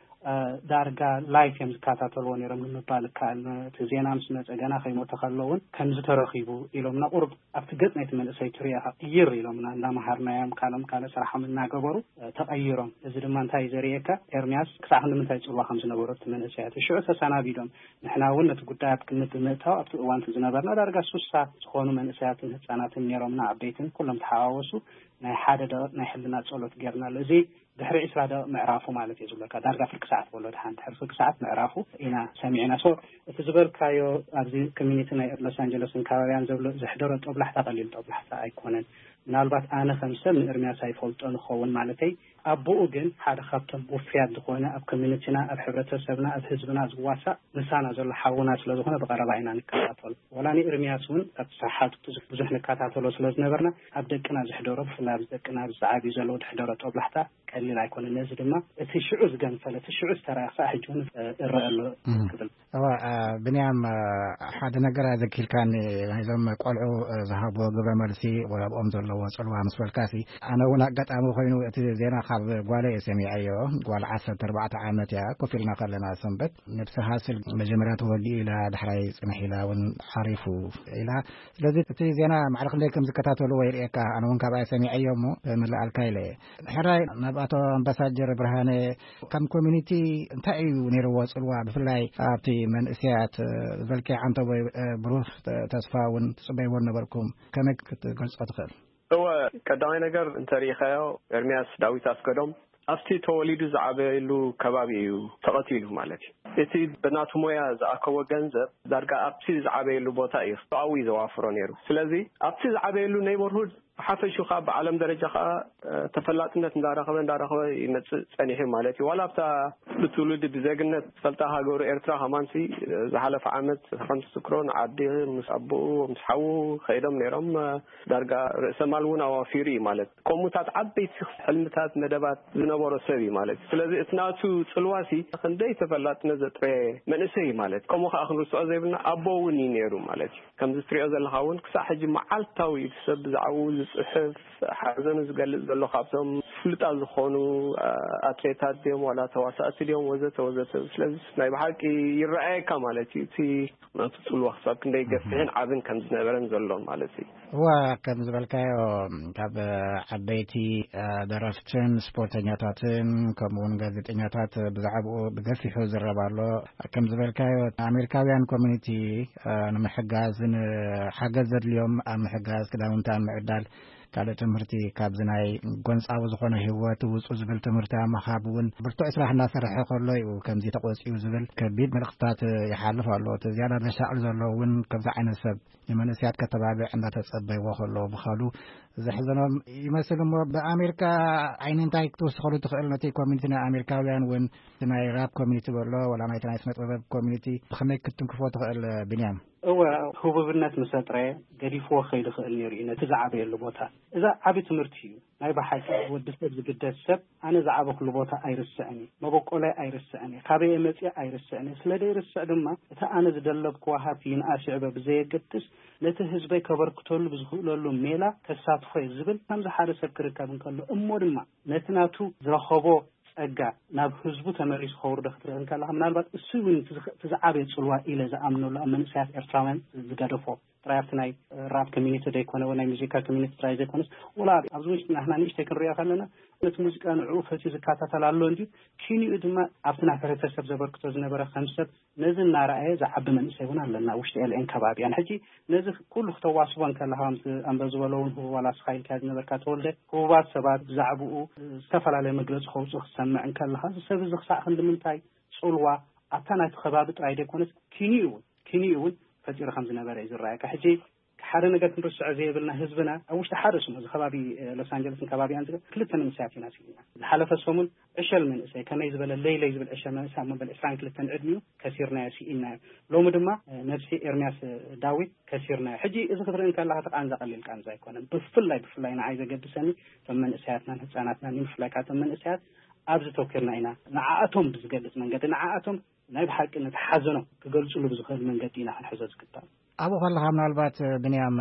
እ፣ ዳርጋ ላይፍ እዮም ዝከታተልዎ ነይሮም ንምባል ይከኣል። እቲ ዜና ምስ መጸ ገና ከይሞተ ከሎ እውን ከምዚ ተረኺቡ ኢሎምና። ቁሩብ ኣብቲ ገጽ ናይቲ መንእሰይ ትሪኦ ኢኻ ቅይር ኢሎምና፣ እንዳመሃርናዮም ካልኦም ካልእ ስራሖም እናገበሩ፣ እ፣ ተቐይሮም። እዚ ድማ እንታይ እዩ ዘርእየካ? ኤርምያስ ክሳዕ ክንዲ ምንታይ ጽልዋ ከም ዝነበሮ እቲ መንእሰያት ሽዑ ተሰናቢዶም። ንሕና እውን ነቲ ጉዳይ ኣብ ግምት ብምእታው ኣብቲ እዋን እቲ ዝነበርና ዳርጋ ሱሳ ዝኾኑ መንእሰያትን ህጻናትን ነይሮምና፣ ዓበይትን ኩሎም ተሓዋወሱ ናይ ሓደ ደቂቕ ናይ ሕልና ጸሎት ጌርናሉ። እዚ ድሕሪ ዕስራ ደቂቕ ምዕራፉ ማለት እዩ ዝብለካ። ዳርጋ ፍርቂ ሰዓት በሎ፣ ድሓን ድሕሪ ፍርቂ ሰዓት ምዕራፉ ኢና ሰሚዕና። ሶ እቲ ዝበልካዮ ኣብዚ ኮሚኒቲ ናይ ሎስ ኣንጀለስን ከባቢያን ዘብሎ ዘሕደሮ ጦብላሕታ ቀሊል ጦብላሕታ ኣይኮነን። ምናልባት ኣነ ከም ሰብ ንእርምያስ ኣይፈልጦ ንኸውን ማለተይ፣ ኣቦኡ ግን ሓደ ካብቶም ውፍያት ዝኾነ ኣብ ኮሚኒቲና፣ ኣብ ሕብረተሰብና፣ ኣብ ህዝብና ዝዋሳእ ምሳና ዘሎ ሓውና ስለ ዝኾነ ብቐረባ ኢና ንከታተሎ። ወላ ንእርምያስ እውን ካብ ሰሓቱ ብዙሕ ንከታተሎ ስለ ዝነበርና ኣብ ደቅና ዝሕደሮ፣ ብፍላይ ኣብ ደቅና ኣብ ዝዓብዩ ዘለዉ ዝሕደሮ ጦብላሕታ ቀሊል ኣይኮነን። ነዚ ድማ እቲ ሽዑ ዝገንፈለ፣ እቲ ሽዑ ዝተረኣየ ክሳዕ ሕጂ እውን እረአ ኣሎ ክብል። እዋ፣ ብንያም፣ ሓደ ነገር ኣዘኪርካኒ። ናይዞም ቆልዑ ዝሃብዎ ግብረ መልሲ፣ ወላ ኣብኦም ዘለዎ ጽልዋ ምስ በልካሲ፣ ኣነ እውን ኣጋጣሚ ኮይኑ እቲ ዜና ካብ ጓለ እየ ሰሚዐዮ። ጓል ዓሰርተ ኣርባዕተ ዓመት እያ። ኮፍ ኢልና ከለና ሰንበት፣ ነብሲ ሃስል መጀመርያ ተወጊኡ ኢላ፣ ዳሕራይ ጽንሕ ኢላ እውን ዓሪፉ ኢላ። ስለዚ እቲ ዜና ማዕረ ክንደይ ከም ዝከታተልዎ ይርእየካ። ኣነ እውን ካብኣ ሰሚዐዮ እሞ ምልኣልካ ኢለ እየ። ሕራይ፣ ናብ ኣቶ ኣምባሳጀር ብርሃነ፣ ከም ኮሚኒቲ እንታይ እዩ ነይርዎ ጽልዋ፣ ብፍላይ ኣብቲ መንእሰያት? እ፣ ዝበልካዮ ዓንተቦ፣ እ፣ ብሩህ ተ-፣ ተስፋ እውን ትጽበይዎ ነበርኩም። ከመይ ክትገልጾ ትኽእል? እወ፣ ቀዳማይ ነገር እንተሪኢኻዮ፣ ኤርምያስ ዳዊት ኣስገዶም ኣብቲ ተወሊዱ ዝዓበየሉ ከባቢ እዩ ተቐቲሉ ማለት እዩ። እቲ ብናቱ ሞያ ዝኣከቦ ገንዘብ ዳርጋ ኣብቲ ዝዓበየሉ ቦታ እዩ ኣብኡ እዩ ዘዋፍሮ ነይሩ። ስለዚ ኣብቲ ዝዓበየሉ ኔይቦርሁድ ብሓፈሹ ከዓ ብዓለም ደረጃ ከዓ፣ እ፣ ተፈላጥነት እንዳረኸበ እንዳረኸበ ይመጽእ ጸኒሑ ማለት እዩ። ዋላ ኣብታ ብትውልዲ ብዜግነት ዝፈልጣ ሃገሩ ኤርትራ ከማንሲ፣ እ፣ ዝሓለፈ ዓመት ከም ትዝክሮ ንዓዲ ምስ ኣቦኡ ምስ ሓዉ ከይዶም ነይሮም። እ፣ ዳርጋ ርእሰ ማል እውን ኣዋፊሩ እዩ ማለት። ከምኡታት ዓበይቲ ሕልምታት መደባት ዝነበሮ ሰብ እዩ ማለት። ስለዚ እቲ ናቱ ጽልዋሲ ክንደይ ተፈላጥነት ዘጥረየ መንእሰይ እዩ ማለት። ከምኡ ከዓ ክንርስዖ ዘይብልና ኣቦ እውን እዩ ነይሩ ማለት እዩ። ከምዚ ትሪኦ ዘለኻ እውን ክሳዕ ሕጂ መዓልታዊ እዩ ሰብ ብዛዕባኡ ዝጽሕፍ፣ ሓዘኑ ዝገልጽ ዘሎ። ካብቶም ፍሉጣት ዝኾኑ፣ እ፣ ኣትሌታት ድዮም ዋላ ተዋሳእቲ ድዮም ወዘተ ወዘተ። ስለዚ ናይ ብሓቂ ይረኣየካ ማለት እዩ። እቲ ናቱ ጽልዋ ክሳብ ክንደይ ገፊሕን ዓብን ከም ዝነበረን ዘሎን ማለት እዩ። እዋ፣ ከም ዝበልካዮ ካብ ዓበይቲ፣ እ፣ ደረፍትን ስፖርተኛታትን ከምኡ እውን ጋዜጠኛታት ብዛዕባኡ ብገፊሑ ዝረብ ኣሎ። ከም ዝበልካዮ ኣሜሪካውያን ኮሚኒቲ፣ እ፣ ንምሕጋዝ፣ ንሓገዝ ዘድልዮም ኣብ ምሕጋዝ፣ ክዳውንቲ ኣብ ምዕዳል፣ ካልእ ትምህርቲ ካብዚ ናይ ጎንጻዊ ዝኾነ ህይወት ውጹ ዝብል ትምህርቲ ኣብ ምሃብ እውን ብርቱዕ ስራሕ እናሰርሐ ከሎ እዩ ከምዚ ተቆጺኡ ዝብል ከቢድ መልእኽትታት ይሓልፍ ኣሎ። እቲ ዝያዳ ዘሻቕል ዘሎ እውን ከምዚ ዓይነት ሰብ ንመንእሰያት ከተባብዕ እንዳተጸበይዎ ከሎ ምዃኑ ዘሕዘኖም ይመስል። እሞ ብኣሜሪካ ዓይኒ እንታይ ክትውስኸሉ ትኽእል? ነቲ ኮሚኒቲ ናይ ኣሜሪካውያን እውን፣ እቲ ናይ ራፕ ኮሚኒቲ በሎ፣ ወላ ናይቲ ናይ ስነ ጥበብ ኮሚኒቲ ብኸመይ ክትንክፎ ትኽእል ብንያም? እወ፣ ህቡብነት ምስ ኣጥረየ ገዲፍዎ ክኸይድ ይኽእል ነይሩ እዩ ነቲ ዝዓበየሉ ቦታ። እዛ ዓቢ ትምህርቲ እዩ። ናይ ብሓቂ ወዲ ሰብ ዝግደስ ሰብ፣ ኣነ ዝዓበኹሉ ቦታ ኣይርስዕን እዩ፣ መበቆላይ ኣይርስዕን እዩ፣ ካበይ መጽእ ኣይርስዕን እዩ። ስለ ዘይርስዕ ድማ እቲ ኣነ ዝደለብክዎ ሃብቲ ይንኣስ ይዕበ ብዘየገድስ ነቲ ህዝበይ ከበርክተሉ ብዝኽእለሉ ሜላ ከሳትፎ እየ ዝብል ከምዚ ሓደ ሰብ ክርከብ እንከሎ እሞ ድማ ነቲ ናቱ ዝረኸቦ ጸጋ ናብ ህዝቡ ተመሊሱ ከውርዶ ክትርኢ እንከለኻ፣ ምናልባት እሱ እውን እቲ ዝኸ-፣ እቲ ዝዓበየ ጽልዋ ኢለ ዝኣምነሉ ኣብ መንእሰያት ኤርትራውያን ዝገደፎ ጥራይ ኣብቲ ናይ ራፕ ኮሚኒቲ ዘይኮነ ወይ ናይ ሙዚቃ ኮሚኒቲ ጥራይ ዘይኮነስ፣ ወላ ኣብ-፣ ኣብዚ ውሽጢ ናህና ንእሽተይ ክንሪኦ ከለና ነቲ ሙዚቃ ንዕኡ ፈትዩ ዝከታተል ኣሎ እንጂ ኪኒኡ ድማ ኣብቲ ናብ ሕብረተሰብ ዘበርክቶ ዝነበረ ከም ሰብ ነዚ እናረኣየ ዝዓቢ መንእሰይ እውን ኣለና ኣብ ውሽጢ ኤልኤን ከባቢያን። ሕጂ ነዚ ኩሉ ክተዋስቦ እንከለኻ ከምቲ ኣንበ ዝበሎ እውን ህቡብ ዋላ ስኻ ኢልካ ዝነበርካ ተወልደ፣ ህቡባት ሰባት ብዛዕባኡ ዝተፈላለየ መግለጺ ከውፅኡ ክትሰምዕ እንከለኻ፣ እዚ ሰብ እዚ ክሳዕ ክንዲ ምንታይ ጽልዋ ኣብታ ናይቲ ከባቢ ጥራይ ዘይኮነስ ኪኒኡ እውን፣ ኪኒኡ እውን ፈጢሩ ከም ዝነበረ እዩ ዝረኣየካ። ሕጂ ሓደ ነገር ክንርስዖ ዘይብልና ህዝብና ኣብ ውሽጢ ሓደ ስሙ እዚ ከባቢ፣ እ፣ ሎስ ኣንጀለስን ከባቢኣን ዝገ-፣ ክልተ መንእሰያት ኢና ስኢና። ዝሓለፈ ሰሙን ዕሸል መንእሰይ፣ ከመይ ዝበለ ለይለይ ዝብል ዕሸል መንእሰይ ኣብ መበል ዕስራን ክልተን ዕድሚኡ ከሲርናዮ፣ ስኢናዮ። ሎሚ ድማ፣ እ፣ ነብሲ ኤርምያስ፣ እ፣ ዳዊት ከሲርናዮ። ሕጂ እዚ ክትርኢ እንከለኻ እቲ ቃንዛ ቀሊል ቃንዛ ኣይኮነን። ብፍላይ፣ ብፍላይ ንዓይ ዘገድሰኒ እቶም መንእሰያትናን ህጻናትናን፣ ብፍላይ ከዓ እቶም መንእሰያት ኣብዚ ተኪርና ኢና ንዓኣቶም ብዝገልጽ መንገዲ፣ ንዓኣቶም ናይ ብሓቂ ነቲ ሓዘኖም ክገልጽሉ ብዝኽእል መንገዲ ኢና ክንሕዞ ዝግባእ። ኣብኡ ከለኻ ምናልባት ብንያም፣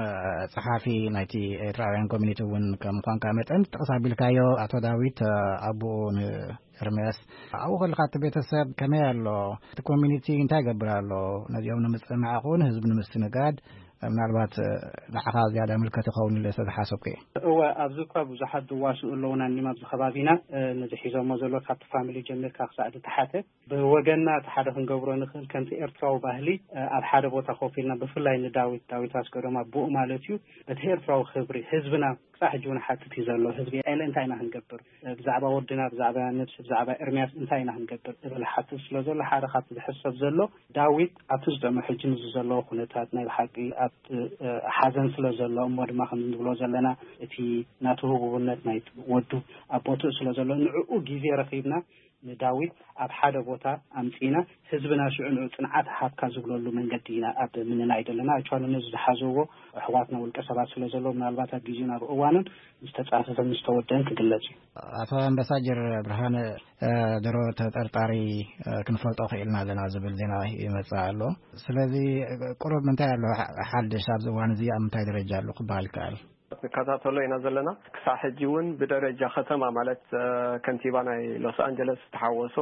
ጸሓፊ ናይቲ ኤርትራውያን ኮሚኒቲ እውን ከም ምዃንካ መጠን፣ ጥቕስ ኣቢልካዮ ኣቶ ዳዊት፣ ኣቦኡ ንኤርምያስ፣ ኣብኡ ከለኻ እቲ ቤተሰብ ከመይ ኣሎ? እቲ ኮሚኒቲ እንታይ ይገብር ኣሎ? ነዚኦም ንምጽንናዕ ይኹን ህዝቢ ንምስትንጋድ ምናልባት ንዓኻ ዝያዳ ምልከት ይኸውን ኢለ ስለ ዝሓሰብኩ እየ። እወ፣ ኣብዚ እኳ ብዙሓት ዝዋስኡ ኣለዉና እኒም ኣብዚ ከባቢና፣ እ፣ ነዚ ሒዞሞ ዘሎ ካብቲ ፋሚሊ ጀሚርካ ክሳዕ ዝተሓተ። ብወገንና እቲ ሓደ ክንገብሮ ንኽእል ከምቲ ኤርትራዊ ባህሊ፣ እ፣ ኣብ ሓደ ቦታ ኮፍ ኢልና ብፍላይ ንዳዊት፣ ዳዊት ኣስገዶም ኣቦኡ ማለት እዩ፣ በቲ ኤርትራዊ ክብሪ ህዝብና ክሳዕ ሕጂ እውን ሓትት እዩ ዘሎ ህዝቢ። ኤለ እንታይ ኢና ክንገብር? ብዛዕባ ወድና፣ ብዛዕባ ነብሲ፣ ብዛዕባ ኤርምያስ እንታይ ኢና ክንገብር? ዝብል ሓትት ስለ ዘሎ፣ ሓደ ካብቲ ዝሕሰብ ዘሎ፣ ዳዊት ኣብቲ ዝጠመ ሕጂ ምስ ዘለዎ ኩነታት ናይ ብሓቂ ኣብ ሓዘን ስለ ዘሎ፣ እሞ ድማ ከም እንብሎ ዘለና፣ እቲ ናቱ ህቡብነት ናይ ወዱ ኣብ ቦትኡ ስለ ዘሎ፣ ንዕኡ ግዜ ረኺብና ንዳዊት ኣብ ሓደ ቦታ ኣምጺና፣ ህዝብና ሽዑ ንዑ ጽንዓት ሃብካ ዝብለሉ መንገዲ ኢና ኣብ ምንናይ ዘለና። ኣክቹዋሊ ነዚ ዝሓዘዎ ኣሕዋትና ውልቀ ሰባት ስለ ዘለዉ፣ ምናልባት ኣብ ግዜን ኣብ እዋንን ዝተጻፈፈን ዝተወደን ክግለጽ እዩ። ኣቶ ኣምባሳጀር ብርሃነ፣ እ፣ ድሮ ተጠርጣሪ፣ እ፣ ክንፈልጦ ክኢልና ኣለና ዝብል ዜና ይመጽእ ኣሎ። ስለዚ፣ እ፣ ቁሩብ ምንታይ ኣሎ ሓ-፣ ሓድሽ ኣብዚ እዋን እዚ ኣብ ምንታይ ደረጃ ኣሎ ክበሃል ይከኣል? ንከታተሎ ኢና ዘለና። ክሳብ ሕጂ እውን ብደረጃ ከተማ ማለት፣ እ፣ ከንቲባ ናይ ሎስ ኣንጀለስ ዝተሓወሶ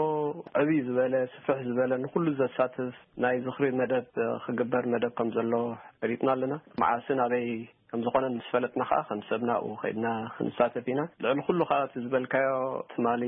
ዕብይ ዝበለ፣ ስፍሕ ዝበለ፣ ንኩሉ ዘሳትፍ ናይ ዝኽሪ መደብ፣ እ፣ ክግበር መደብ ከም ዘሎ ፈሊጥና ኣለና። መዓስን ኣበይ ከም ዝኾነ ምስ ፈለጥና ከዓ ከም ሰብ ናብኡ ከይድና ክንሳተፍ ኢና። ልዕሊ ኩሉ ከዓ እቲ ዝበልካዮ ትማሊ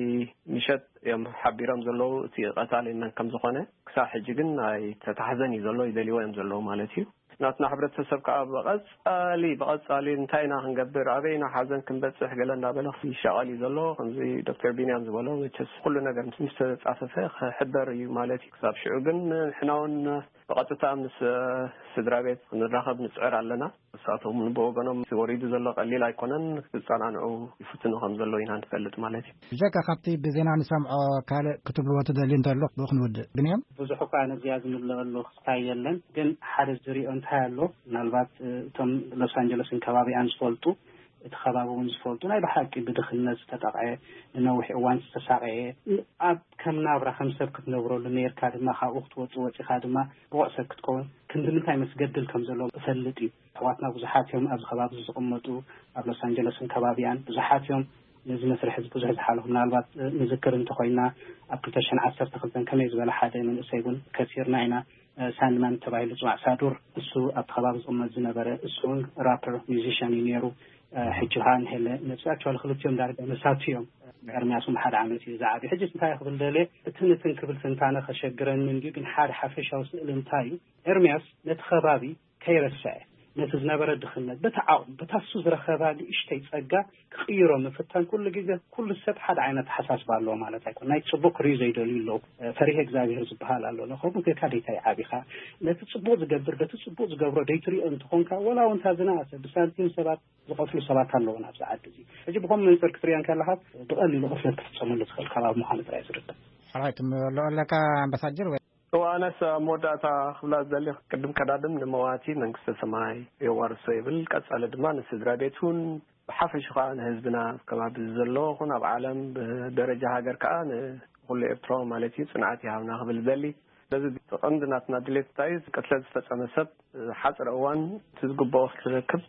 ምሸት እዮም ሓቢሮም ዘለዉ እቲ ቀታሊ መን ከም ዝኾነ። ክሳብ ሕጂ ግን ኣይተታሕዘን እዩ ዘሎ፣ ይደልይዎ እዮም ዘለዉ ማለት እዩ። ናትና ሕብረተሰብ ከዓ ብቐጻሊ፣ ብቐጻሊ እንታይ ኢና ክንገብር፣ ኣበይ ኢና ሓዘን ክንበጽሕ ገለ እንዳበለ ይሻቐል እዩ ዘሎ። ከምዚ ዶክተር ቢንያም ዝበሎ መቸስ ኩሉ ነገር ምስ፣ ምስ ተጻፈፈ ክሕበር እዩ ማለት እዩ። ክሳብ ሽዑ ግን ንሕና እውን ብቐጥታ ምስ፣ እ፣ ስድራ ቤት ክንራኸብ ንጽዕር ኣለና። ንሳቶም ብወገኖም እቲ ወሪዱ ዘሎ ቀሊል ኣይኮነን፣ ክጸናንዑ ይፍትኑ ከም ዘለዉ ኢና ንፈልጥ ማለት እዩ። ብጀካ ካብቲ ብዜና ንሰምዖ ካልእ ክትብልዎ ትደልዩ እንተሎ ብኡ ክንውድእ። ብንያም? ብዙሕ እኳ ነዚኣ ዝምልአሉ ክስታይ የለን፣ ግን ሓደ ዝሪኦ እንታይ ኣሎ፣ ምናልባት፣ እ፣ እቶም ሎስ ኣንጀለስን ከባቢኣን ዝፈልጡ፣ እቲ ከባቢ እውን ዝፈልጡ፣ ናይ ብሓቂ ብድኽነት ዝተጠቕዐ፣ ንነዊሕ እዋን ዝተሳቐየ፣ ኣብ ከም ናብራ ከም ሰብ ክትነብረሉ ነይርካ ድማ ካብኡ ክትወጽእ ወጺኻ ድማ ብቑዕ ሰብ ክትከውን ክንዲ ምንታይ መስገድል ከም ዘሎ እፈልጥ እዩ። ኣሕዋትና ብዙሓት እዮም ኣብዚ ከባቢ እዚ ዝቕመጡ፣ ኣብ ሎስ ኣንጀለስን ከባቢኣን ብዙሓት እዮም። ነዚ መስርሕ እዚ ብዙሕ ዝሓለፉ፣ ምናልባት፣ እ፣ ንዝክር እንተኾይና፣ ኣብ ክልተ ሽሕን ዓሰርተ ክልተን ከመይ ዝበለ ሓደ መንእሰይ እውን ከሲርና ኢና። እ፣ ሳንድማን ተባሂሉ ዝፅዋዕ ሳዱር፣ እሱ ኣብቲ ከባቢ ዝቕመጥ ዝነበረ፣ እሱ እውን ራፐር ሚዚሽያን እዩ ነይሩ። እ፣ ሕጂ ከዓ ንሄለ ነብሲ፣ ኣክቹዋሊ ክልቲኦም ዳርጋ መሳቱ እዮም። ኤርምያስ እውን ሓደ ዓመት እዩ ዝዓብዩ። ሕጂ እንታይ ክብል ደልየ፣ እቲ ንትን ክብል ትንታነ ከሸግረኒ እንድዩ፣ ግን ሓደ ሓፈሻዊ ስእሊ እንታይ እዩ፣ ኤርምያስ ነቲ ከባቢ ከይረስዐ፣ ነቲ ዝነበረ ድኽነት፣ በቲ ዓቕሙ፣ በታ እሱ ዝረኸባ ንእሽተይ ጸጋ ክቕይሮ ምፍታን፣ ኩሉ ግዜ ኩሉ ሰብ ሓደ ዓይነት ኣተሓሳስባ ኣለዎ ማለት ኣይኮነን። ናይ ጽቡቕ ክርእዩ ዘይደልዩ ኣለዉ። ፈሪሀ እግዚኣብሔር ዝበሃል ኣሎ። ከምኡ ጌርካ ደይታይ ዓቢኻ፣ ነቲ ጽቡቕ ዝገብር፣ በቲ ጽቡቕ ዝገብሮ ደይትሪኦ እንተኾንካ፣ ወላ እውን እታ ዝነኣሰ ብሳንቲም ሰባት ዝቐትሉ ሰባት ኣለዉ ኣብዚ ዓዲ እዚ። ሕጂ ብኸም መንጽር ክትሪኦ እንከለኻ፣ ብቐሊሉ ቅትለት ክፍጸመሉ ዝኽእል ከባቢ ምዃኑ ጥራይ ዝርዳእ። ሓራይ ትምልኦ ኣለካ ኣምባሳጀር ወይ? እወ፣ ኣነስ ኣብ መወዳእታ ክብላ ዝደሊ፣ ቅድም ቀዳድም ንመዋቲ መንግስተ ሰማይ የዋርሶ ይብል። ቀጻሊ ድማ ንስድራ ቤቱን ብሓፈሹ ከኣ ንህዝብና፣ ኣብ ከባቢ ዘሎ ኹን ኣብ ዓለም፣ ብደረጃ ሃገር ከኣ ንኹሉ ኤርትራዊ ማለት እዩ፣ ጽንዓት ይሃብና ክብል ዝደሊ። በዚ ቀንዲ ናትና ድሌት እንታይ እዩ? ቅትለት ዝፈጸመ ሰብ ሓጽረ እዋን እቲ ዝግብኦ ክረክብ፣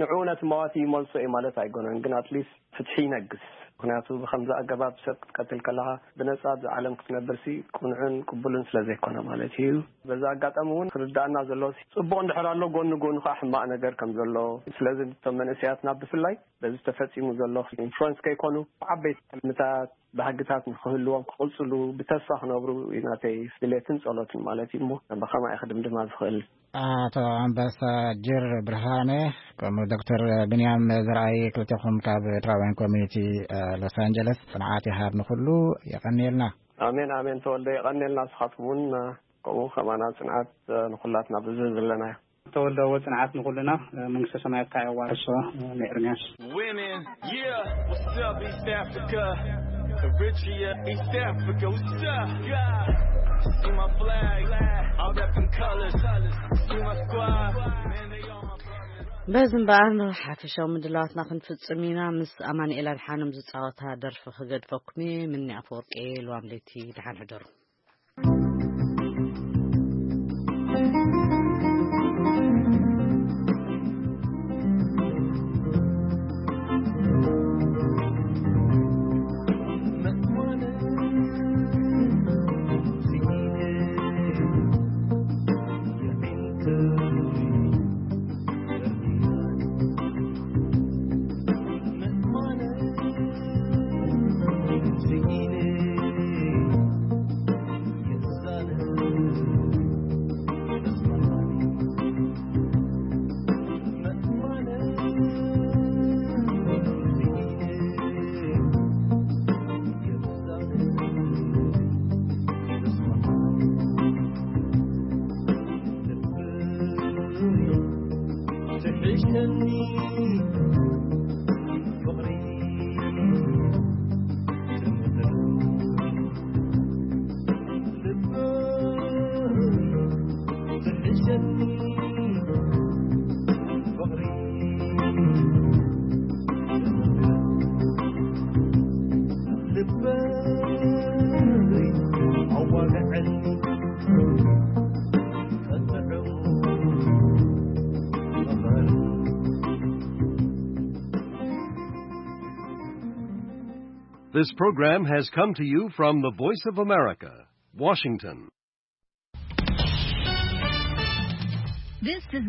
ንዕኡ ነቲ መዋቲ ይመልሶ እዩ ማለት ኣይኮነን፣ ግን ኣትሊስት ፍትሒ ይነግስ። ምኽንያቱ ብኸምዚ ኣገባብ ሰብ ክትቀትል ከለኻ ብነጻ ኣብዚ ዓለም ክትነብርሲ ቅኑዕን ቅቡልን ስለ ዘይኮነ ማለት እዩ። በዚ ኣጋጣሚ እውን ክርዳእና ዘለዎ፣ ጽቡቕ እንድሕር ኣሎ፣ ጎኒ ጎኑ ከዓ ሕማቕ ነገር ከም ዘሎ። ስለዚ እቶም መንእሰያትና ብፍላይ በዚ ተፈጺሙ ዘሎ ኢንፍሉወንስ ከይኮኑ፣ ዓበይቲ ሕልምታት፣ ባህግታት ንኽህልዎም፣ ክቕጽሉ፣ ብተስፋ ክነብሩ እዩ ናተይ ድሌትን ጸሎትን ማለት እዩ። እሞ ብኸማይ ክድምድማ ዝኽእል። ኣቶ ኣምባሳጀር ብርሃነ፣ ከምኡ ዶክተር ብንያም ዘርኣይ፣ ክልቴኹም ካብ ኤርትራውያን ኮሚኒቲ፣ እ፣ ሎስ ኣንጀለስ፣ ጽንዓት ይሃብ ንኹሉ። የቐንየልና። ኣሜን፣ ኣሜን ተወልደ፣ የቐንየልና። ንስኻትኩም እውን፣ እ፣ ከምኡ ከማና ጽንዓት፣ እ፣ ንኹላትና ብዝህ ዘለናዮ። ተወልደ፣ እወ፣ ጽንዓት ንኹልና። እ፣ መንግስተ ሰማያትካ የዋርሶ፣ እ፣ ንኤርምያስ። Women, yeah, what's up, East Africa? Eritrea, East Africa, what's up? Yeah. See my flag, all wrapped in colors. See my squad, man, they all my brothers. በዚ እምበኣር፣ ሓፈሻዊ ምድላዋትና ክንፍጽም ኢና። ምስ ኣማኑኤል ኣድሓኖም ዝጻወታ ደርፊ ክገድፈኩም እየ። ምኒ ኣፈወርቂ፣ ልዋም ለይቲ፣ ደሓን ሕደሩ። እሸኒ ፍቕሪ This program has come to you from the Voice of America, Washington. This is